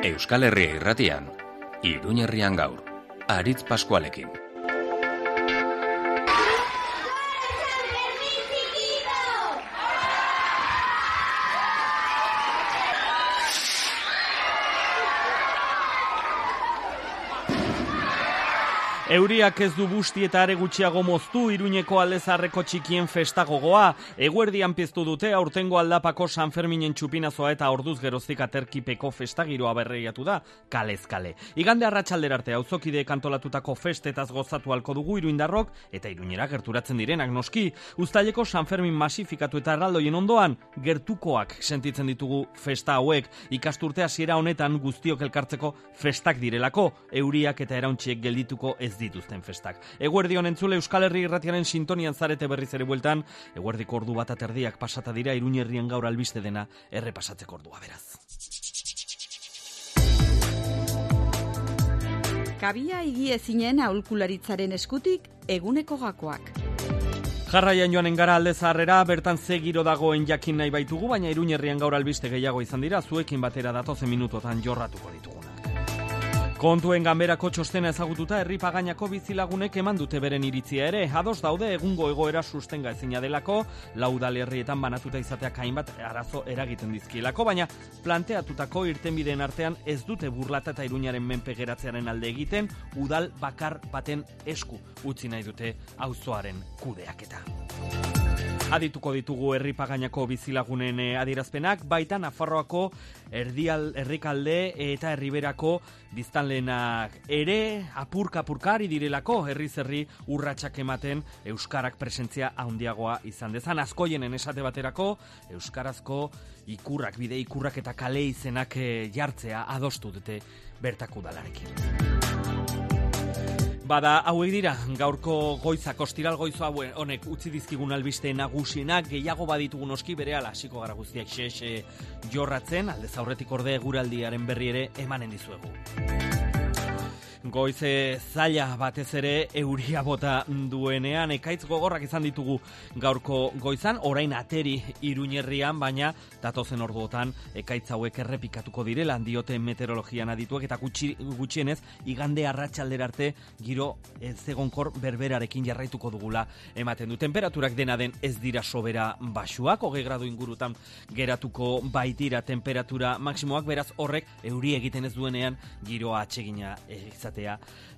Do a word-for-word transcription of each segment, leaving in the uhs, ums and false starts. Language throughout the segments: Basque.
Euskal Herria Irratian, Iruña Herrian gaur, Aritz Paskualekin. Euriak ez du busti eta are gutxiago moztu Iruñeko aldezarreko txikien festa gogoa. Eguerdian piztu dute aurtengo aldapako San Ferminen txupinazoa eta orduz geroztik aterkipeko festa giroa berreiatu da, kalez kale. Igande arratsaldera arte auzokideek antolatutako festetaz gozatu halko dugu iruindarrok eta Iruñera gerturatzen direnak noski. Uztaileko San Fermin masifikatu eta erraldoien ondoan gertukoak sentitzen ditugu festa hauek. Ikasturte hasiera honetan guztiok elkartzeko festak direlako, euriak eta erauntxiek geldituko ez dituzten festak. Eguerdion entzule Euskal Herri Irratiaren sintonian zarete berriz ere bueltan, eguerdiko ordu bat aterdiak pasata dira Iruña Herrian gaur albiste dena errepasatzeko ordua beraz. Kabia higiezinen aholkularitzaren eskutik eguneko gakoak. Jarraian joanen gara alde zaharrera, bertan ze giro dagoen jakin nahi baitugu, baina Iruña Herrian gaur albiste gehiago izan dira, zuekin batera datozen minutotan jorratuko ditugunak. Kontuen ganberako txostena ezagututa herri pagainako bizilagunek eman dute beren iritzia ere. Ados daude egungo egoera sustenga ezina delako, lau udalerrietan banatuta izateak hainbat arazo eragiten dizkielako, baina planteatutako irtenbideen artean ez dute burlata eta Iruñaren menpe geratzearen alde egiten, udal bakar baten esku utzi nahi dute auzoaren kudeaketa. Adituko ditugu herri pagainako bizilagunen adierazpenak, baita Nafarroako erdial, herrikalde eta herriberako biztanleenak ere apurka-apurkari direlako herriz herri urratsak ematen euskarak presentzia handiagoa izan dezan. Askoienen esate baterako euskarazko ikurrak, bide ikurrak eta kale izenak jartzea adostu dute bertako udalarekin. Bada, hauek dira, gaurko goizak, ostiral goizo hauen honek utzi dizkigun albiste nagusienak, gehiago baditugu noski berehala hasiko gara guztiak xe-xe jorratzen, aldez aurretik orde eguraldiaren berri ere emanen dizuegu. Goize zaila batez ere euria bota duenean, ekaitz gogorrak izan ditugu gaurko goizan, orain ateri Iruñerrian, baina datozen orduotan ekaitz hauek errepikatuko direla diote meteorologian adituek eta gutxi, gutxienez igande arratsaldera arte giro ezegonkor berberarekin jarraituko dugula ematen du. Temperaturak dena den ez dira sobera baxuak, hogei gradu ingurutan geratuko baitira temperatura maksimoak, beraz horrek euri egiten ez duenean giroa atsegina izatea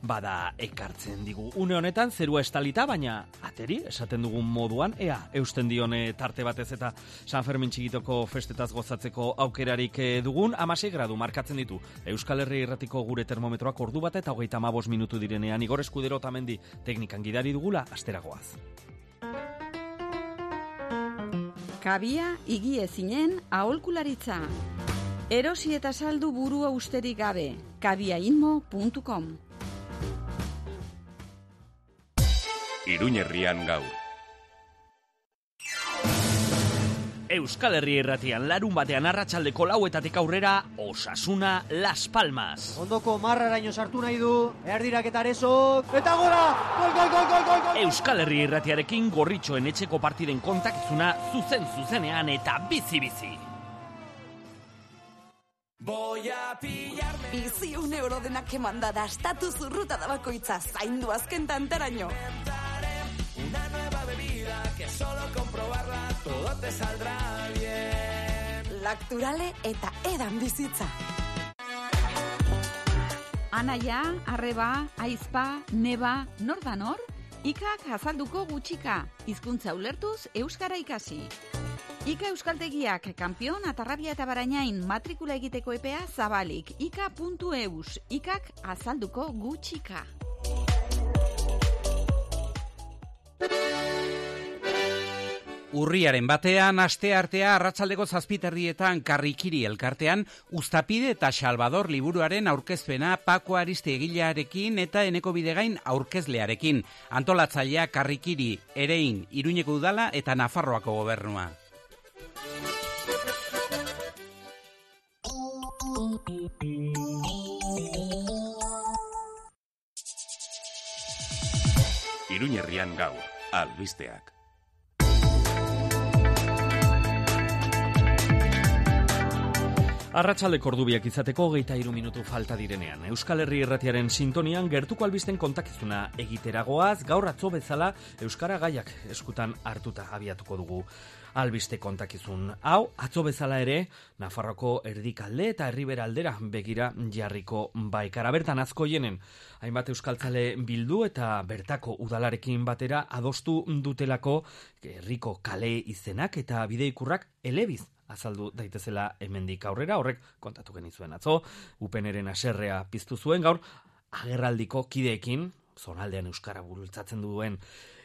bada ekartzen digu. Une honetan zerua estalita, baina ateri esaten dugun moduan, ea eusten dione tarte batez eta San Fermin txikitoko festetaz gozatzeko aukerarik dugun. Hamasei gradu markatzen ditu Euskal Herri Irratiko gure termometroak ordu bat eta hogeita hamabost minutu direnean. Igor Eskudero Otamendi teknikan gidari dugula, asteragoaz. Kabia higiezinen aholkularitza. Erosi eta saldu burua usterik gabe. kabiainmo puntu com. Iruña Herrian gaur. Euskal Herri Irratian larun batean arratsaldeko lauetatik aurrera Osasuna Las Palmas. Ondoko marraraino sartu nahi du, erdirak eta arezok, eta gora! Gol, gol, gol, gol, gol, gol! Euskal Herri Irratiarekin gorritxoen etxeko partiden kontakizuna zuzen zuzenean eta bizi-bizi. Voy a pillarme. Bizi un euro denak emanda dastatu zurruta da bakoitza zaindu azken tantaraino. Una nueva bebida que solo comprobarla todo te saldrá bien. Lacturale eta edan bizitza. Anaia, arreba, aizpa, neba, nor da nor? Ikak azalduko gutxika, hizkuntza ulertuz euskara ikasi. Ika Euskaltegiak kanpion Atarrabia eta Barainain matrikula egiteko epea zabalik. ika puntu eus. Ikak azalduko gutxika. Urriaren batean, asteartea arratsaldeko zazpiterdietan Karrikiri elkartean, Uztapide eta Salvador liburuaren aurkezpena Pako Ariste egilearekin eta Eneko Bidegain aurkezlearekin. Antolatzailea Karrikiri, Erein, Iruñeko udala eta Nafarroako gobernua. Iruña Herrian gaur, albisteak. Arratsaldeko ordubiak izateko hogeita hiru minutu falta direnean. Euskal Herri Irratiaren sintonian gertuko albisten kontakizuna egiteragoaz, gaur atzo bezala euskara gaiak eskutan hartuta abiatuko dugu. Albiste kontakizun hau, atzo bezala ere, Nafarroko erdikalde eta herribera aldera begira jarriko baikara. Bertan Azkoienen, hainbat euskaltzale bildu eta bertako udalarekin batera adostu dutelako herriko kale izenak eta bideikurrak elebiz azaldu daitezela hemendik aurrera, horrek kontatu genizuen atzo, Upeneren haserrea piztu zuen gaur, agerraldiko kideekin, zonaldean euskara bultzatzen duen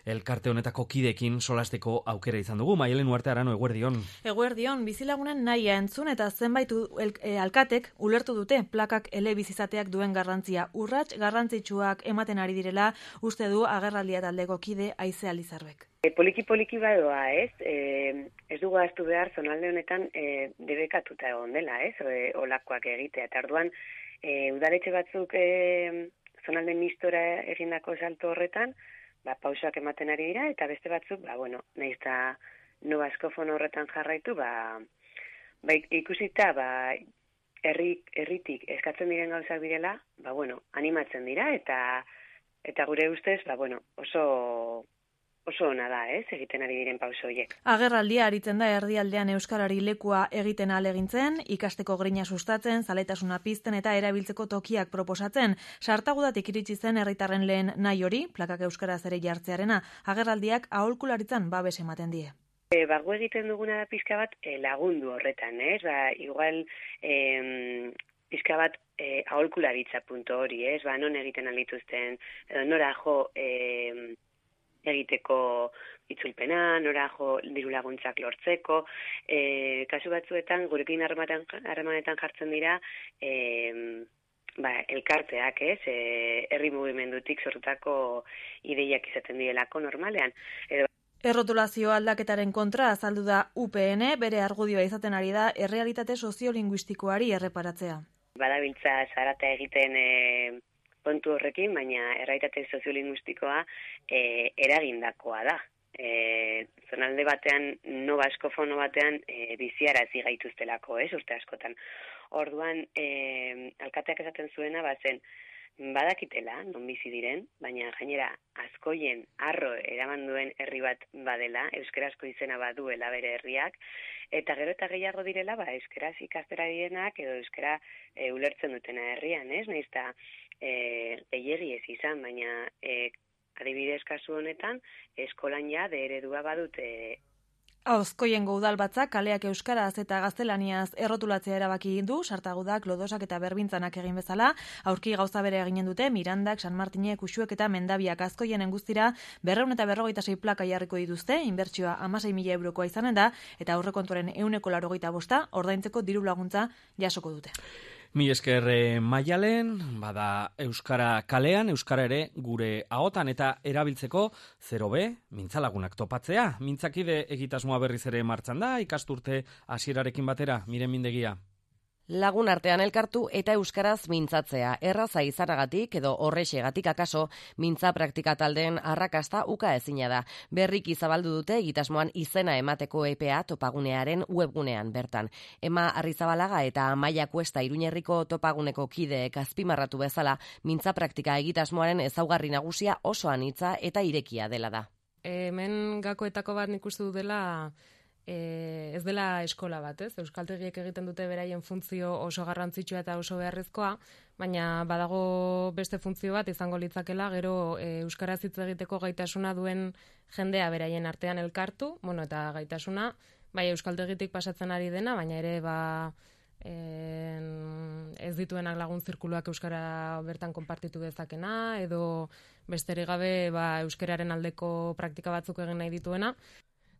elkarte honetako kideekin solasteko aukera izan dugu. Maialen Uarte Arano, eguerdion. Eguerdion, bizilagunen nahia entzun eta zenbait el, e, alkatek ulertu dute plakak elebiz izateak duen garrantzia. Urrats garrantzitsuak ematen ari direla, uste du agerraldia taldeko kide Aize Alizarbek. E, poliki-poliki badoa, ez? E, ez dugu aztu behar zonalde honetan e, debekatuta egon dela, ez? E, olakoak egitea. Eta orduan, e, udaletxe batzuk e, zonalde mistora egindako salto horretan, ba, pausoak ematen ari dira, eta beste batzuk, ba, bueno, nahiz eta no askofono horretan jarraitu, ba, ba ikusita, ba, herri, herritik eskatzen diren gauzak direla, ba, bueno, animatzen dira, eta eta gure ustez, ba, bueno, oso oso ona da, ez, egiten ari diren pauso horiek. Agerraldia aritzen da erdialdean euskarari lekua egiten ahalegintzen, ikasteko grina sustatzen, zaletasuna pizten eta erabiltzeko tokiak proposatzen. Sartagudatik iritsi zen herritarren lehen nahi hori, plakak euskaraz ere jartzearena, agerraldiak aholkularitzan babes ematen die. E, bago egiten duguna da pizka bat e, lagundu horretan, ez? Ba, igual e, pizka bat e, aholkularitza punto hori, ez? Ba, non egiten alituzten, edo nora jo e, egiteko itzulpena, nora jo diru laguntzak lortzeko, e, kasu batzuetan gurekin harremanetan jartzen dira e, ba, elkarteak, ez, e, herri mugimendutik sortutako ideiak izaten direlako normalean. Edo Errotulazio aldaketaren kontra azaldu da U P N, bere argudioa izaten ari da errealitate soziolinguistikoari erreparatzea. Badabiltza zarata egiten e, kontu horrekin, baina errealitate soziolinguistikoa e, eragindakoa da. E, zonalde batean, no baskofono batean, e, biziarazi gaituztelako, ez, urte askotan. Orduan, e, alkateak esaten zuena, bazen, badakitela, non bizi diren, baina gainera Azkoien arro eraman duen herri bat badela, euskarazko izena baduela bere herriak, eta gero eta gehiago direla, ba, euskaraz ikastera direnak edo euskara e, ulertzen dutena herrian, ez? Nahiz eta e, gehiegi ez izan, baina e, adibidez kasu honetan, eskolan ja de eredua badute. Azkoiengo udalbatzak kaleak euskaraz eta gaztelaniaz errotulatzea erabaki du, Sartagudak, Lodosak eta Berbintzanak egin bezala, aurki gauza bere eginen dute, Mirandak, San Martinek, Uxuek eta Mendabiak Azkoienen guztira berrehun eta berrogeita sei plaka jarriko dituzte, inbertsioa hamasei mila eurokoa izanen da, eta aurrekontuaren ehuneko laurogeita bosta ordaintzeko diru laguntza jasoko dute. Mi esker Maialen, bada euskara kalean, euskara ere gure ahotan eta erabiltzeko zero be, mintzalagunak topatzea. Mintzakide egitasmoa berriz ere martxan da, ikasturte hasierarekin batera, Miren Mindegia. Lagun artean elkartu eta euskaraz mintzatzea. Erraza izanagatik edo horrexegatik akaso, mintza praktika taldeen arrakasta uka ezina da. Berriki zabaldu dute egitasmoan izena emateko epea topagunearen webgunean bertan. Ema Arrizabalaga eta Amaia Kuesta Iruñerriko topaguneko kideek azpimarratu bezala, mintza praktika egitasmoaren ezaugarri nagusia oso anitza eta irekia dela da. Hemen gakoetako bat nik uste dut dela E, ez dela eskola bat, ez? Euskaltegiek egiten dute beraien funtzio oso garrantzitsua eta oso beharrezkoa, baina badago beste funtzio bat izango litzakela, gero e, euskaraz hitz egiteko gaitasuna duen jendea beraien artean elkartu, bueno, eta gaitasuna, bai euskaltegitik pasatzen ari dena, baina ere ba en, ez dituenak lagun zirkuluak euskara bertan konpartitu dezakena, edo besterik gabe ba, euskararen aldeko praktika batzuk egin nahi dituena.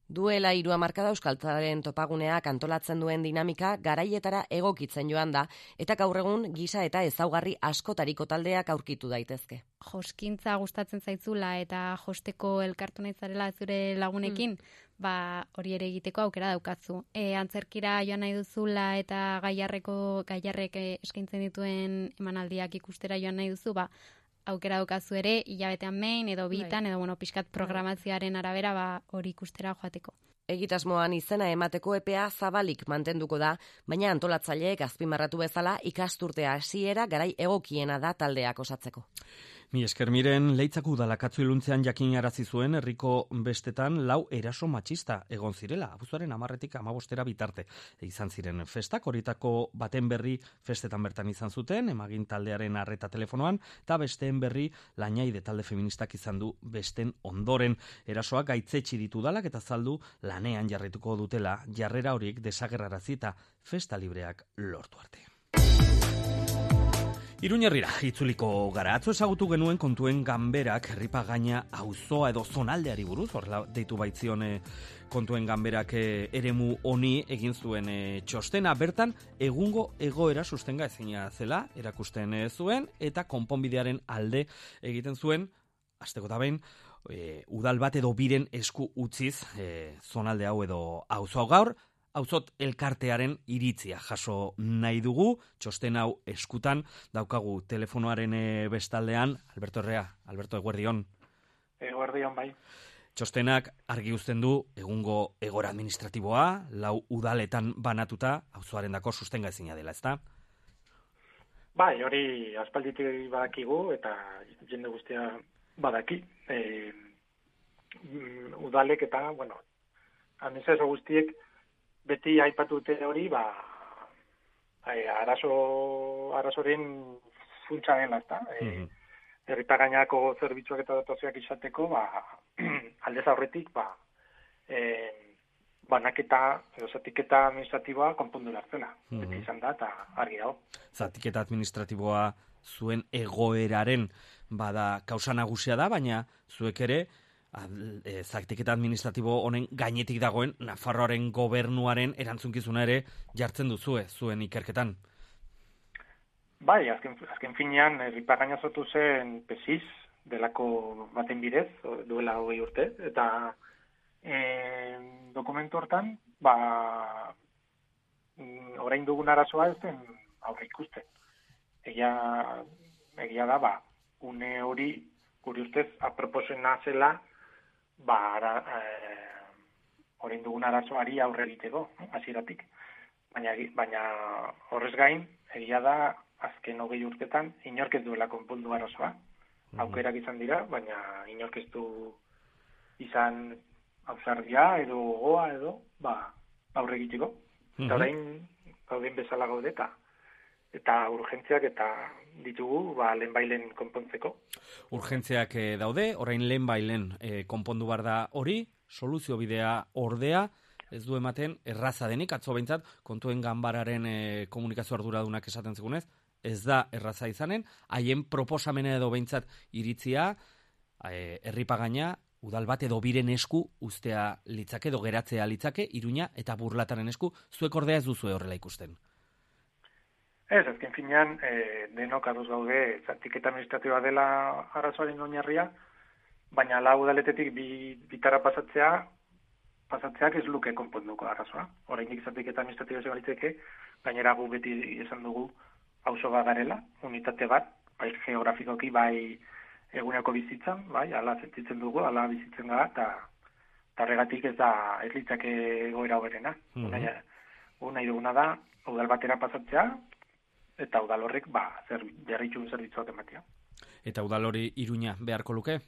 Duela hiru hamarkada euskaltzaren topaguneak antolatzen duen dinamika garaietara egokitzen joan da, eta gaur egun gisa eta ezaugarri askotariko taldeak aurkitu daitezke. Joskintza gustatzen zaitzula eta josteko elkartu nahi zarela zure lagunekin, mm. ba hori ere egiteko aukera daukatzu. E, antzerkira joan nahi duzula eta gaiarreko gaiarrek eskaintzen dituen emanaldiak ikustera joan nahi duzu, ba aukera daukazu ere, hilabetean behin, edo bitan, edo bueno, pixkat programazioaren arabera, ba, hori ikustera joateko. Egitasmoan izena emateko epea zabalik mantenduko da, baina antolatzaileek azpimarratu bezala ikasturtea hasiera garai egokiena da taldeak osatzeko. Mi esker miren, Leitzako udalakatzu iluntzean jakin arazi zuen herriko bestetan lau eraso matxista egon zirela, abuztuaren hamarretik hamabostera bitarte. Izan ziren festak, horietako baten berri festetan bertan izan zuten, emagin taldearen arreta telefonoan, eta besteen berri Lainaide talde feministak izan du besten ondoren. Erasoak gaitzetsi ditu udalak eta zaldu lanean jarrituko dutela jarrera horiek desagerrarazi eta festa libreak lortu arte. Iruñerrira, itzuliko gara. Atzo ezagutu genuen kontuen ganberak herripagaina auzoa edo zonaldeari buruz, horrela deitu baitzion e, kontuen ganberak e, eremu honi egin zuen e, txostena. Bertan, egungo egoera sustenga ezina zela, erakusten e, zuen, eta konponbidearen alde egiten zuen, hasteko da behin, e, udal bat edo biren esku utziz e, zonalde hau edo auzo hau gaur, Auzot elkartearen iritzia jaso nahi dugu, txosten hau eskutan, daukagu telefonoaren bestaldean, Alberto Herrea, Alberto, eguerdion. Eguerdion, bai. Txostenak argi uzten du egungo egora administratiboa, lau udaletan banatuta, auzoaren dako sustenga ezina dela, ezta? Bai, hori aspalditik badakigu, eta jende guztia badaki. E, udalek eta, bueno, administrazio guztiek, beti aipatute hori, ba, arazo, arazoren funtsa dela, ezta? Mm-hmm. E, herripagainako zerbitzuak eta dotazioak izateko, ba, aldez aurretik, ba, e, banaketa, edo zatiketa administratiboa konpondu lartzela. Mm-hmm. Beti izan da, eta argi dago. Zatiketa administratiboa zuen egoeraren, bada, kausa nagusia da, baina zuek ere, E, zaktiketa administratibo honen gainetik dagoen Nafarroaren gobernuaren erantzunkizuna ere jartzen duzue zuen ikerketan. Bai, azken, azken finean herripagaina sortu zen pesiz delako baten bidez, duela hogei urte, eta e, dokumentu hortan, ba, orain dugun arazoa ez den aurre ikusten. Egia, egia da, ba, une hori guri ustez aproposena zela, ba, ara, e, orain dugun arazoari aurre egiteko, hasieratik. Baina, baina horrez gain, egia da, azken hogei urtetan, inork ez duela konpondu arazoa. Mm-hmm. Aukerak izan dira, baina inork ez du izan ausardia edo gogoa edo, ba, aurre egiteko. Mm-hmm. Eta orain, gauden bezala gaudeta. Eta urgentziak eta ditugu, ba, lehenbailen konpontzeko. Urgentziak e, daude, orain lehenbailen e, konpondu bar da hori, soluzio bidea ordea, ez du ematen erraza denik, atzo behintzat, kontuen ganbararen e, komunikazio arduradunak esaten zigunez, ez da erraza izanen, haien proposamena edo behintzat iritzia, e, herripagaina, udal bat edo biren esku ustea litzake, edo geratzea litzake, Iruña eta Burlataren esku, zuek ordea ez duzue horrela ikusten. Ez, azken finean, e, denok ados gaude, zatiketa administratiboa dela arazoaren oinarria, baina lau udaletetik bi, bitara pasatzea, pasatzeak ez luke konponduko arazoa. Oraindik zatiketa administratiboa ez balitzeke, gainera gu beti esan dugu auzo bat garela, unitate bat, bai geografikoki, bai eguneko bizitzan, bai, ala sentitzen dugu, ala bizitzen gara, eta tarregatik ez da ez litzake egoera hoberena. Mm-hmm. Nahi duguna da, udal batera pasatzea, eta udal horrek, ba, zer, jarritxun zerbitzuak ematea. Eta udal hori Iruña beharko luke?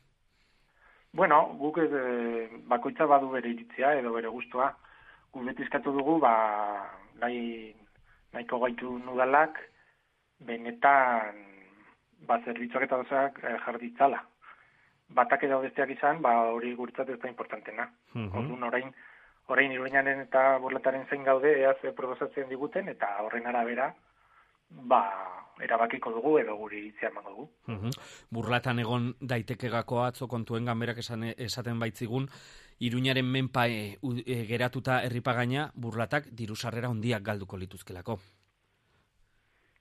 Bueno, guk ez, bakoitza badu bere iritzia edo bere guztua. Guk beti eskatu dugu, ba, nahi, nahiko gaitu udalak, benetan, ba, zerbitzuak eta dozak eh, jarditzala. Batak edo besteak izan, ba, hori guretzat ez da importantena. Mm-hmm. Orduan, orain, orain Iruñaren eta Burlataren zein gaude, ea ze proposatzen diguten, eta horren arabera, ba, erabakiko dugu edo guri iritzia emango dugu. Uhum. Burlatan egon daiteke gako atzo kontuen ganberak esan, esaten baitzigun, Iruñaren menpa e, e, geratuta herripagaina Burlatak diru sarrera handiak galduko lituzkelako.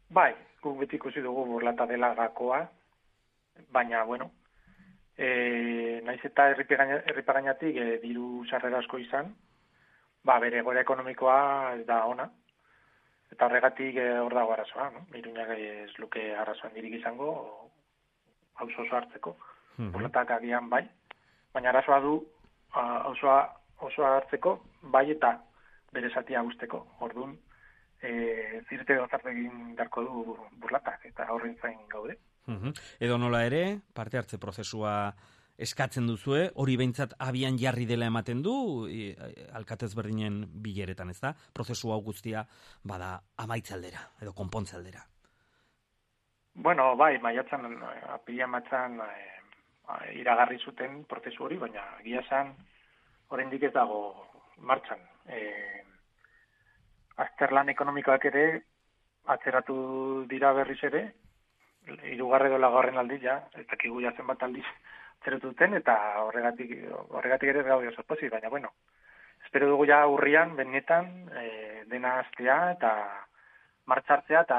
Bai, guk beti ikusi dugu Burlata dela gakoa, baina, bueno, e, naiz eta herripagainatik e, diru sarrera asko izan, ba, bere egoera ekonomikoa ez da ona. Eta horregatik hor dago arazoa, no? Iruñak ez luke arazoan dirik izango, auzo oso hartzeko, burlatak agian bai, baina arazoa du auzoa oso hartzeko, bai eta bere zatia guzteko. Orduan, e, zirte gozarte egin darko du burlatak, eta horren zain gaude. Uhum. Edo nola ere, parte hartze prozesua eskatzen duzue, hori behintzat abian jarri dela ematen du, e, alkatez berdinen bileretan, ez da? Prozesu hau guztia bada amaitze aldera, edo konpontze aldera. Bueno, bai, maiatzan, apila matzan e, iragarri zuten prozesu hori, baina egia esan oraindik ez dago martxan. E, azterlan ekonomikoak ere atzeratu dira berriz ere, hirugarren edo laugarren aldiz ja, ez dakigu ja zenbat aldiz atzeratu duten, eta horregatik horregatik ere gaude oso pozik, baina bueno, espero dugu ja urrian benetan e, dena hastea eta martxartzea eta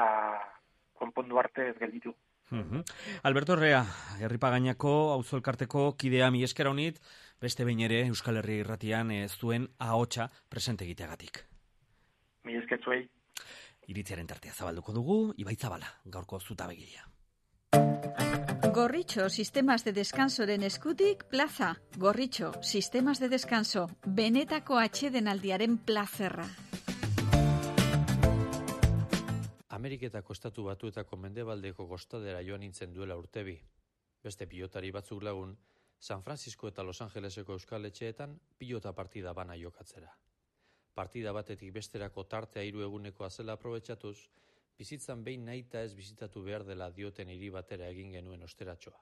konpondu arte ez gelditu. Uhum. Alberto Herrea, Herripagainako auzo elkarteko kidea, mi esker honit, beste behin ere Euskal Herria Irratian ez duen ahotsa presente egiteagatik. Mi esker zuei. Iritziaren tartea zabalduko dugu, Ibai Zabala, gaurko zutabegilea. Gorritxo, sistemas de descansoren eskutik, plaza. Gorritxo, sistemas de descanso, benetako atsedenaldiaren plazerra. Ameriketako estatu batuetako mendebaldeko kostadera joan nintzen duela urtebi. Beste pilotari batzuk lagun, San Francisco eta Los Angeleseko euskal etxeetan pilota partida bana jokatzera. Partida batetik besterako tartea hiru egunekoa zela aprobetxatuz, bizitzan behin nahita ez bizitatu behar dela dioten hiri batera egin genuen osteratxoa.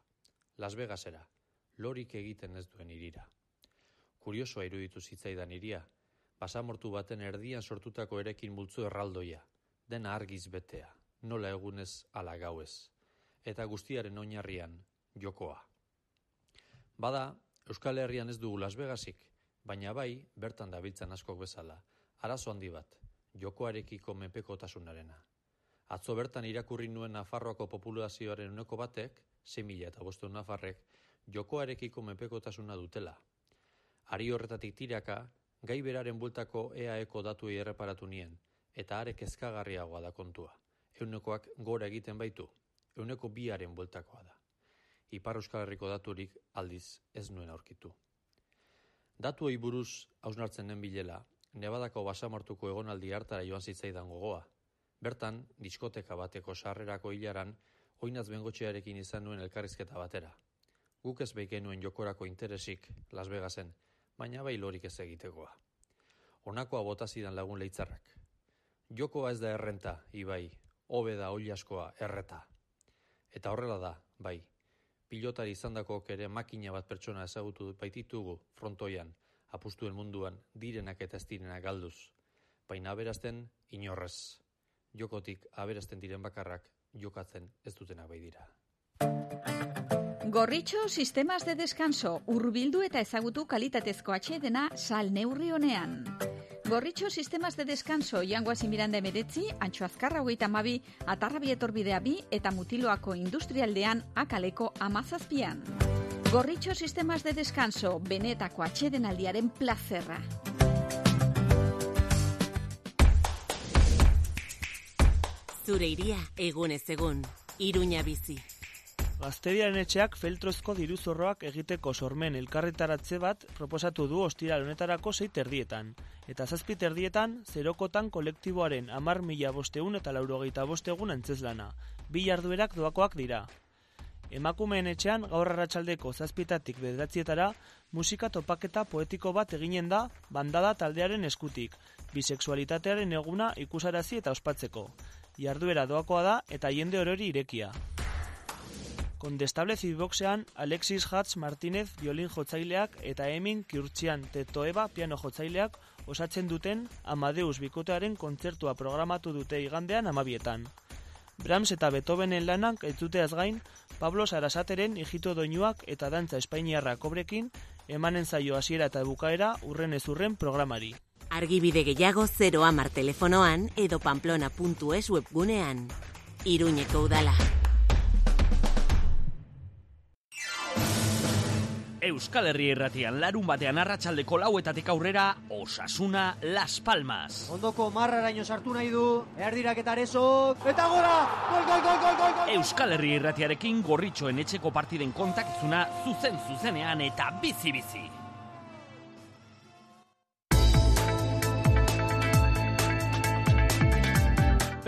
Las Vegasera, lorik egiten ez duen hirira. Kuriosoa iruditu zitzaidan hiria, basamortu baten erdian sortutako erekin multzo erraldoia, dena argiz betea, nola egunez ala gauez, eta guztiaren oinarrian jokoa. Bada, Euskal Herrian ez dugu Las Vegasik, baina bai, bertan dabiltzan askok bezala, arazo handi bat, jokoarekiko menpekotasunarena. Atzo bertan irakurri nuen Nafarroako populazioaren uneko batek, sei mila eta bostehun nafarrek, jokoarekiko menpekotasuna dutela. Ari horretatik tiraka, gai beraren bueltako E A Eko datuei erreparatu nien, eta are kezkagarriagoa da kontua. Eunekoak gora egiten baitu, euneko biaren bueltakoa da. Ipar Euskal Herriko daturik aldiz ez nuen aurkitu. Datuei buruz hausnartzen den bilela, Nevadako basamortuko egonaldi hartara joan zitzaidan gogoa. Bertan, diskoteka bateko sarrerako hilaran, oinaz bengotxearekin izan nuen elkarrizketa batera. Guk ez beik genuen jokorako interesik Las Vegasen, baina bai lorik ez egitekoa. Honakoa bota zidan lagun leitzarrak. Jokoa ez da errenta, Ibai, hobe da oilaskoa erreta. Eta horrela da, bai, pilotari izandakok ere makina bat pertsona ezagutu baititugu frontoian, apustuen munduan direnak eta ez direnak galduz. Baina aberazten inorrez. Jokotik aberazten diren bakarrak jokatzen ez dutenak bai dira. Gorritxo, sistemas de descanso, hurbildu eta ezagutu kalitatezko atsedena sal neurri honean. Gorritxo, sistemas de descanso, Jangoazi Miranda emeretzi, Antxo Azkarra hogeita hamabi, Atarrabi etorbidea bi eta Mutiloako industrialdean akaleko amazazpian. Gorritxo, sistemas de descanso, benetako atsedenaldiaren plazerra. Zure iria, egunez egun, Iruña bizi. Gazteriaren etxeak feltrozko diruzorroak egiteko sormen elkarretaratze bat proposatu du ostiral honetarako sei terdietan. Eta zazpi terdietan, zerokotan kolektiboaren hamar mila bosteun eta laurogeita bostegun antzeslana. Bi jarduerak doakoak dira. Emakumeen etxean gaur arratsaldeko zazpitatik bederatzietara musika topaketa poetiko bat eginen da bandada taldearen eskutik, bisexualitatearen eguna ikusarazi eta ospatzeko. Jarduera doakoa da eta jende orori irekia. Kondestable Zibboxean Alexis Hatz Martínez violin jotzaileak eta Emin Kiurtzian Tetoeba piano jotzaileak osatzen duten Amadeus bikotearen kontzertua programatu dute igandean amabietan. Brahms eta Beethovenen lanak entzuteaz gain, Pablo Sarasateren ijito doinuak eta dantza espainiarra kobrekin emanen zaio hasiera eta bukaera urren ez urren programari. Argibide gehiago zero hamar telefonoan edo pamplona puntu es webgunean. Iruñeko udala. Euskal Herria Irratian larun batean arratsaldeko lauetatik aurrera Osasuna Las Palmas. Ondoko marraraino sartu nahi du, erdirak eta arezok, eta gora! Gol, gol, gol, gol, gol, gol! Euskal Herria Irratiarekin gorritxoen etxeko partiden kontakizuna zuzen zuzenean eta bizi-bizi.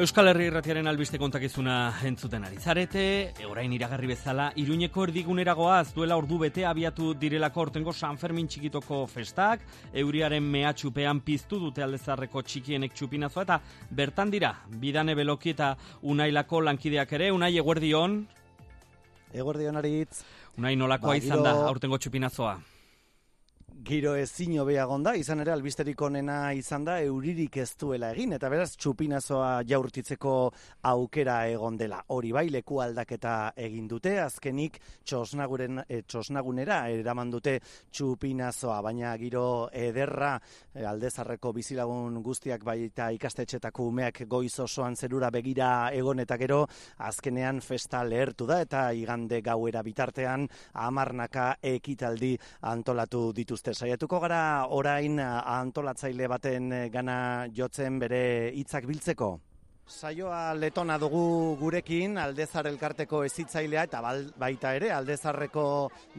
Euskal Herria Irratiaren albiste kontakizuna entzuten ari zarete, orain iragarri bezala, Iruñeko erdigunera goaz duela ordu bete abiatu direlako ortengo San Fermin txikitoko festak, euriaren mehatxupean piztu dute Aldezarreko txikienek txupinazoa, eta bertan dira, Bidane Beloki eta Unailako lankideak ere. Unai, eguerdion? Eguerdion, Aritz. Unai, nolakoa ba, izan giro... da aurtengo txupinazoa? Giro ezin hobea egonda, izan ere albisterik onena izan da euririk ez duela egin, eta beraz txupinazoa jaurtitzeko aukera egon dela. Hori bai, leku aldaketa egin dute, azkenik txosnaguren, e, txosnagunera eraman dute txupinazoa, baina giro ederra e, Aldezarreko bizilagun guztiak baita ikastetxetako umeak goiz osoan zerura begira egon eta gero, azkenean festa lehertu da, eta igande gauera bitartean hamarnaka ekitaldi antolatu dituzte. Saiatuko gara orain antolatzaile baten gana jotzen bere hitzak biltzeko. Saioa letona dugu gurekin, Aldezar elkarteko hezitzailea eta baita ere Aldezarreko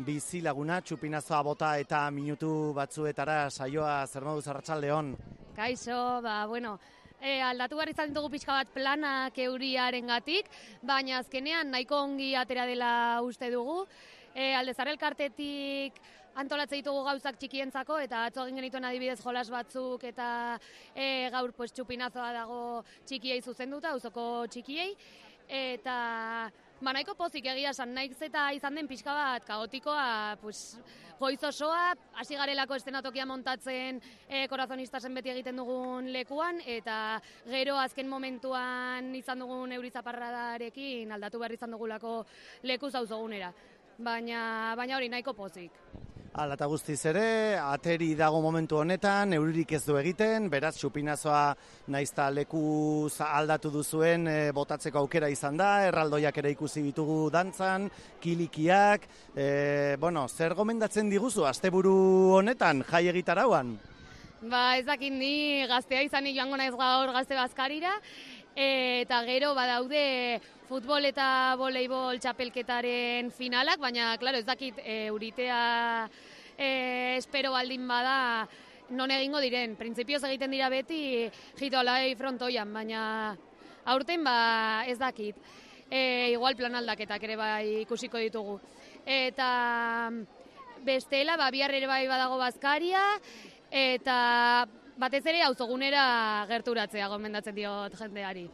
bizilaguna, txupinazoa bota eta minutu batzuetara saioa. Zer moduz, arratsaldeon? Kaixo, ba, bueno, e, aldatu behar izan dugu pixka bat planak euriarengatik, baina azkenean nahiko ongi atera dela uste dugu. E, Aldezar elkartetik antolatzen ditugu gauzak txikientzako, eta atzo egin genituen adibidez jolas batzuk, eta e, gaur pues, txupinazoa dago txikiei zuzenduta, auzoko txikiei, eta ba, nahiko pozik egia esan, naiz eta izan den pixka bat kaotikoa, pues, goiz osoa, hasi garelako eszenatokia montatzen e, korazonistasen beti egiten dugun lekuan, eta gero azken momentuan izan dugun eurizaparradarekin aldatu behar izan dugulako leku zauzogunera. Baina, baina hori nahiko pozik. Hala eta guztiz ere, ateri dago momentu honetan, euririk ez du egiten, beraz txupinazoa naizta lekuz aldatu duzuen e, botatzeko aukera izan da, erraldoiak ere ikusi ditugu dantzan, kilikiak, e, bueno, zer gomendatzen diguzu asteburu honetan, jai egitarauan? Ba, ez dakit ni gaztea izan joango naiz gaur gazte bazkarira, eta gero badaude futbol eta voleibol txapelketaren finalak, baina, klaro, ez dakit euritea e, espero baldin bada non egingo diren. Printzipioz egiten dira beti jitolai frontoian, baina aurten ba ez dakit. E, igual plan aldaketak ere bai ikusiko ditugu. Eta bestela, ba, bihar ere bai badago bazkaria, eta batez ere auzogunera gerturatzea gomendatzen diot jendeari.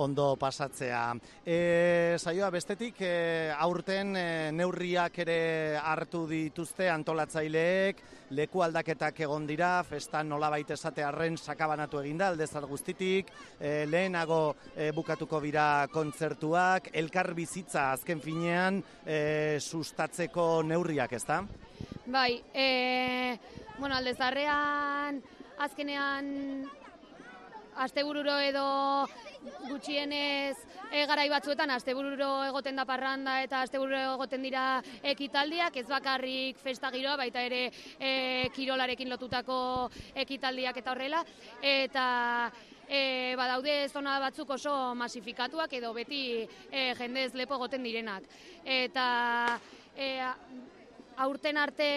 Ondo pasatzea. E, saioa bestetik, e, aurten e, neurriak ere hartu dituzte antolatzaileek, leku aldaketak egon dira, festa nolabait esatearren sakabanatu eginda, Aldezar guztitik, e, lehenago e, bukatuko dira kontzertuak, elkar bizitza azken finean e, sustatzeko neurriak, ezta? Bai, e, bueno, Aldezarrean azkenean astebururo edo gutxienez e, garai batzuetan astebururo egoten da parranda eta astebururo egoten dira ekitaldiak, ez bakarrik festa giroa, baita ere e, kirolarekin lotutako ekitaldiak eta horrela, eta e, badaude zona batzuk oso masifikatuak edo beti e, jendez lepo egoten direnak. Eta e, aurten arte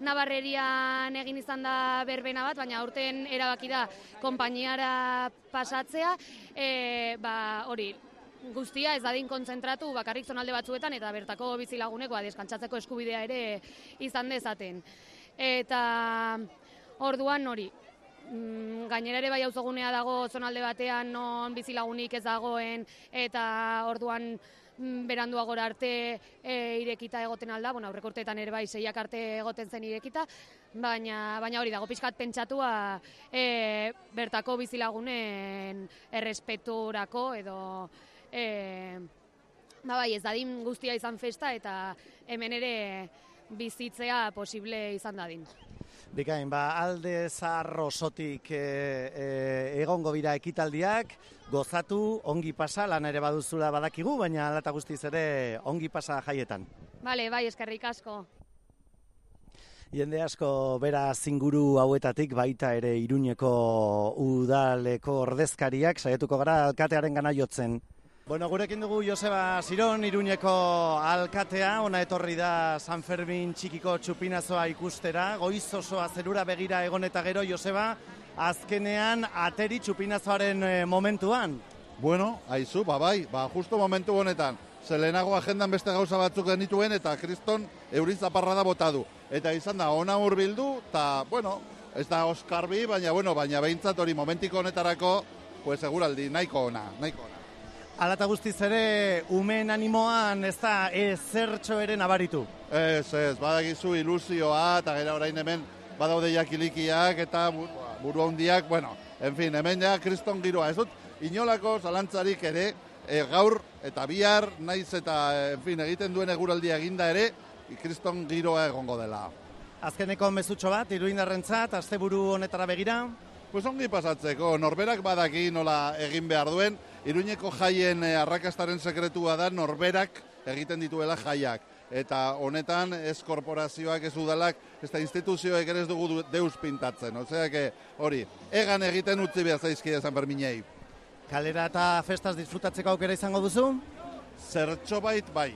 Nabarrerian egin izan da berbena bat, baina aurten erabaki da konpainiara pasatzea, e, ba, hori, guztia ez dadin kontzentratu bakarrik zonalde batzuetan eta bertako bizilagunekoa deskantzatzeko eskubidea ere izan dezaten. Eta orduan hori, gainera ere bai auzogunea dago zonalde batean non bizilagunik ez dagoen, eta orduan beranduagora arte e, irekita egoten alda, bueno, aurreko urteetan ere bai seiak arte egoten zen irekita, baina, baina hori dago pixkat pentsatua e, bertako bizilagunen errespeturako edo e, ba bai, ez dadin guztia izan festa eta hemen ere bizitzea posible izan dadin. Bikain, ba, Aldezar osotik e, e, egongo bira ekitaldiak, gozatu, ongi pasa, lan ere baduzula badakigu, baina alata guztiz ere ongi pasa jaietan. Bale, bai, eskerrik asko. Jende asko bera zinguru hauetatik baita ere Iruñeko udaleko ordezkariak saiatuko gara alkatearen gana jotzen. Bueno, gurekin dugu Joseba Siron, Iruñeko alkatea, ona etorri da San Fermin txikiko txupinazoa ikustera, goiz osoa zerura begira egon eta gero, Joseba, azkenean ateri txupinazoaren momentuan. Bueno, aizu, ba bai, ba justo momentu honetan, zelenago agendan beste gauza batzuk genituen eta kriston eurizaparra da bota du. Eta izan da, ona hurbildu, eta, bueno, ez da Oskarbi, baina, bueno, baina behintzat hori momentiko honetarako, pues seguraldi, nahiko ona, nahiko ona. Alata guztiz ere, umeen animoan ez da ezertxo ere nabaritu. Ez, ez, badagizu ilusioa, eta gara orain hemen badaude jakilikiak, eta buru handiak, bueno, en fin, hemen ja kriston giroa. Ez dut, inolako zalantzarik ere, e, gaur eta bihar, naiz eta, en fin, egiten duen eguraldia eginda ere, kriston giroa egongo dela. Azkeneko mezutxo bat, iruindarrentzat, asteburu honetara begira? Pues ongi pasatzeko, norberak badaki nola egin behar duen, Iruñeko jaien arrakastaren sekretua da norberak egiten dituela jaiak. Eta honetan ez korporazioak, ez udalak, ez da instituzioek ere ez dugu deus pintatzen. Osea, que hori, egan egiten utzi behar zaizkide San Ferminei. Kalera eta festaz disfrutatzeko aukera izango duzu? Zertxo bait, bai,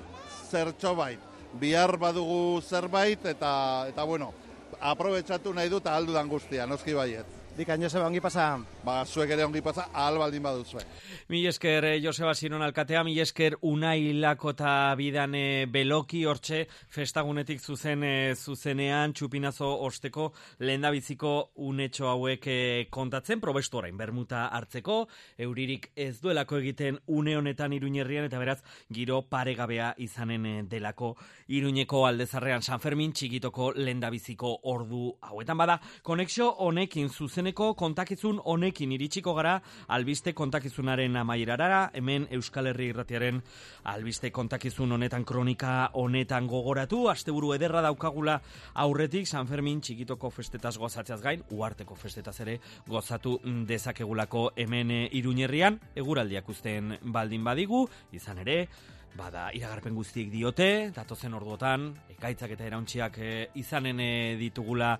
zertxo bait. Bihar badugu zerbait eta, eta bueno, aprobetsatu nahi dut ahaldudan guztia, noski baiet. Dikan, Joseba, ongi pasa? Ba, zuek ere ongi pasa, ahal baldin baduzue. Mi esker, Joseba Siron alkatea, mi esker Unai Lakota bidan beloki hortxe festagunetik zuzen zuzenean txupinazo osteko lehendabiziko unetxo hauek kontatzen, probestu orain bermuta hartzeko, euririk ez duelako egiten une honetan Iruñerrian, eta beraz giro paregabea izanen delako Iruñeko aldezarrean San Fermin txikitoko lehendabiziko ordu hauetan bada. Konexio honekin zuzen kontakizun honekin iritsiko gara albiste kontakizunaren amaierara, hemen Euskal Herri Irratiaren albiste kontakizun honetan kronika honetan gogoratu, asteburu ederra daukagula aurretik San Fermin txikitoko festetaz gozatzeaz gain, uharteko festetaz ere gozatu dezakegulako hemen Iruñerrian, eguraldiak uzten baldin badigu, izan ere, bada, iragarpen guztiek diote, datozen orduotan, ekaitzak eta erauntziak e, izanen e, ditugula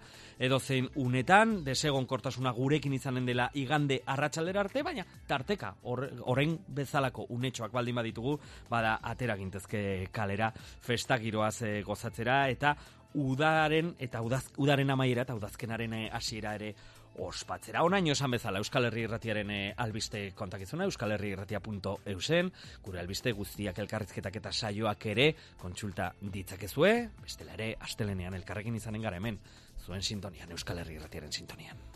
edozein unetan, desegon kortasuna gurekin izanen dela igande arratsaldera arte, baina tarteka, orain bezalako unetxoak baldin baditugu, bada, atera gintezke kalera, festagiroaz e, gozatzera, eta udaren, eta udaz, udaren amaiera, eta udazkenaren hasiera ere ospatzera. Onaino esan bezala Euskal Herri Irratiaren albiste kontakizuna, euskal herri irratia punto eusen, gure albiste guztiak elkarrizketak eta saioak ere kontsulta ditzakezue, bestela ere astelenean elkarrekin izanen gara hemen, zuen sintonian, Euskal Herri Irratiaren sintonian.